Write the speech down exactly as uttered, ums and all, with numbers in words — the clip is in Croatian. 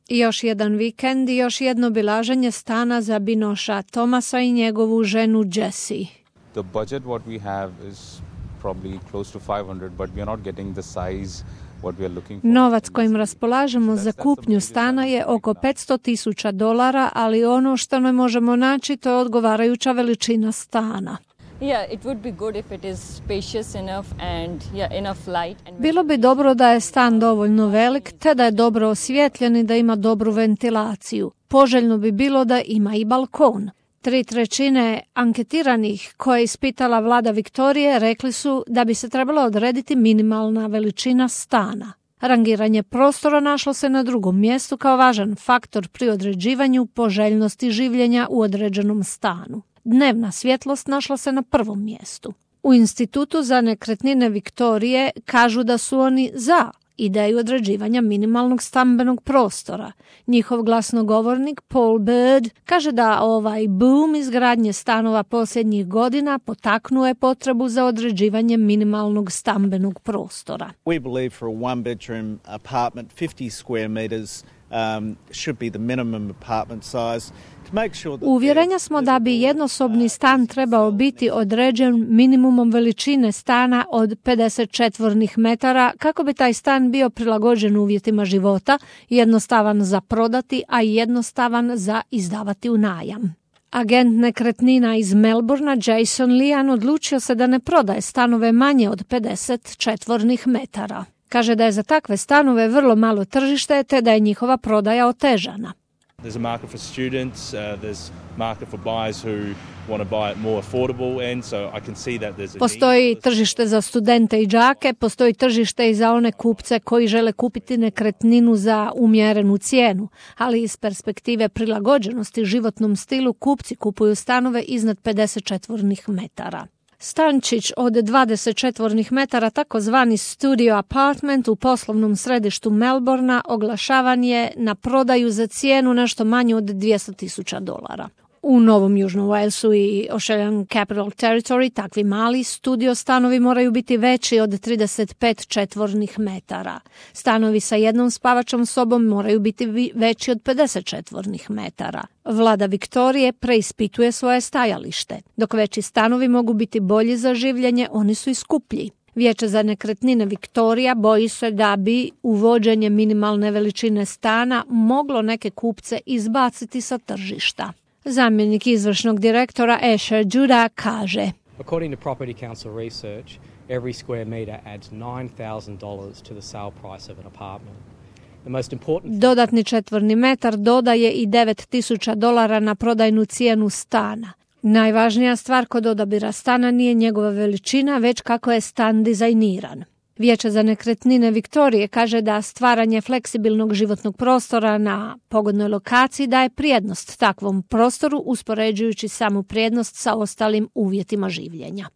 I još jedan vikend i još jedno obilaženje stana za Binoša Thomasa i njegovu ženu Jessie. The budget what we have is probably close to five hundred, but we are not getting the size what we are looking for. Novac kojim raspolažemo za kupnju stana je oko petsto tisuća dolara, ali ono što ne možemo naći to je odgovarajuća veličina stana. Yeah, it would be good if it is spacious enough and yeah, enough light. And Bilo bi dobro da je stan dovoljno velik, te da je dobro osvijetljen i da ima dobru ventilaciju. Poželjno bi bilo da ima i balkon. Tri trećine anketiranih koje je ispitala vlada Viktorije rekli su da bi se trebala odrediti minimalna veličina stana. Rangiranje prostora našlo se na drugom mjestu kao važan faktor pri određivanju poželjnosti življenja u određenom stanu. Dnevna svjetlost našla se na prvom mjestu. U Institutu za nekretnine Viktorije kažu da su oni za ideju određivanja minimalnog stambenog prostora. Njihov glasnogovornik Paul Bird kaže da ovaj boom izgradnje stanova posljednjih godina potaknuo je potrebu za određivanje minimalnog stambenog prostora. We believe for a one bedroom apartment fifty square meters um, should be the minimum apartment size. Uvjerenja smo da bi jednosobni stan trebao biti određen minimumom veličine stana od pedeset četvornih metara kako bi taj stan bio prilagođen uvjetima života, jednostavan za prodati, a i jednostavan za izdavati u najam. Agent nekretnina iz Melbourna Jason Lian odlučio se da ne prodaje stanove manje od pedeset četvornih metara. Kaže da je za takve stanove vrlo malo tržište te da je njihova prodaja otežana. There's a market for students, uh, there's market for buyers who want to buy it more affordable, and so I can see that there's a Postoji tržište za studente i đake, postoji tržište i za one kupce koji žele kupiti nekretninu za umjerenu cijenu, ali iz perspektive prilagođenosti životnom stilu kupci kupuju stanove iznad pedeset četvornih metara. Stančić od dvadeset četvornih metara, takozvani studio apartment u poslovnom središtu Melbourna, oglašavan je na prodaju za cijenu nešto manje od dvjesto tisuća dolara. U Novom Južnom Walesu i Australian Capital Territory takvi mali studio stanovi moraju biti veći od trideset pet četvornih metara. Stanovi sa jednom spavačom sobom moraju biti veći od pedeset četvornih metara. Vlada Viktorije preispituje svoje stajalište. Dok veći stanovi mogu biti bolji za življenje, oni su i skuplji. Vijeće za nekretnine Viktorija boji se da bi uvođenje minimalne veličine stana moglo neke kupce izbaciti sa tržišta. Zamjenik izvršnog direktora Asher Judah kaže: According to Property Council research, every square meter adds nine thousand dollars to the sale price of an apartment. The most important... Dodatni četvorni metar dodaje i devet tisuća dolara na prodajnu cijenu stana. Najvažnija stvar kod odabira stana nije njegova veličina, već kako je stan dizajniran. Vijeće za nekretnine Viktorije kaže da stvaranje fleksibilnog životnog prostora na pogodnoj lokaciji daje prijednost takvom prostoru uspoređujući samu prijednost sa ostalim uvjetima življenja.